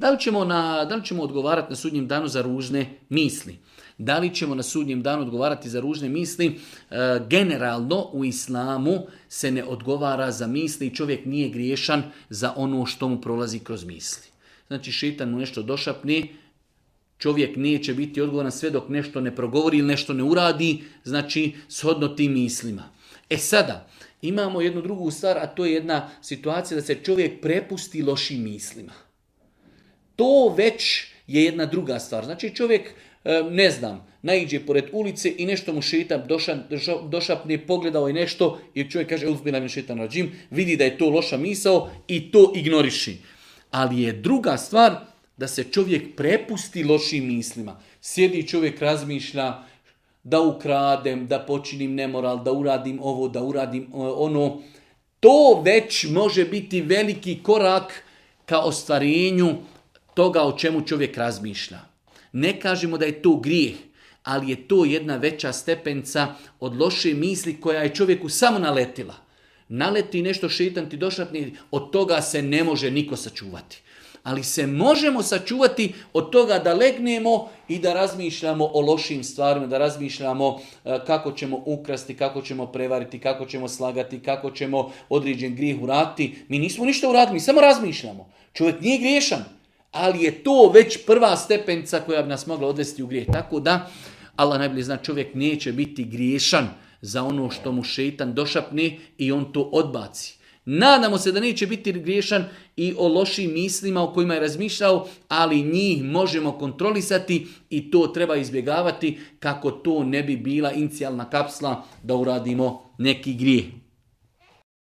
Da li ćemo odgovarati na sudnjem danu za ružne misli? Da li ćemo na sudnjem danu odgovarati za ružne misli? Generalno u islamu se ne odgovara za misli i čovjek nije griješan za ono što mu prolazi kroz misli. Znači šeitan mu nešto došapne, čovjek neće biti odgovoran sve dok nešto ne progovori ili nešto ne uradi, znači shodno tim mislima. Sada, imamo jednu drugu stvar, a to je jedna situacija da se čovjek prepusti lošim mislima. To već je jedna druga stvar. Znači čovjek, naiđe pored ulice i nešto mu šeitan došapne, pogledao je nešto i čovjek kaže uzbilan šeitan rađim, vidi da je to loša misao i to ignoriši. Ali je druga stvar da se čovjek prepusti lošim mislima. Sjedi čovjek, razmišlja da ukradem, da počinim nemoral, da uradim ovo, da uradim ono. To već može biti veliki korak ka ostvarenju toga o čemu čovjek razmišlja. Ne kažemo da je to grijeh, ali je to jedna veća stepenca od loše misli koja je čovjeku samo naletila. Naleti nešto šeitan ti došapne, od toga se ne može niko sačuvati. Ali se možemo sačuvati od toga da legnemo i da razmišljamo o lošim stvarima, da razmišljamo kako ćemo ukrasti, kako ćemo prevariti, kako ćemo slagati, kako ćemo određen grijeh uraditi. Mi nismo ništa uradili, mi samo razmišljamo. Čovjek nije griješan, ali je to već prva stepenca koja bi nas mogla odvesti u grijeh. Tako da, Allah najbolje zna, čovjek neće biti griješan za ono što mu šeitan došapne i on to odbaci. Nadamo se da neće biti griješan i o lošim mislima o kojima je razmišljao, ali njih možemo kontrolisati i to treba izbjegavati kako to ne bi bila inicijalna kapsla da uradimo neki grijeh.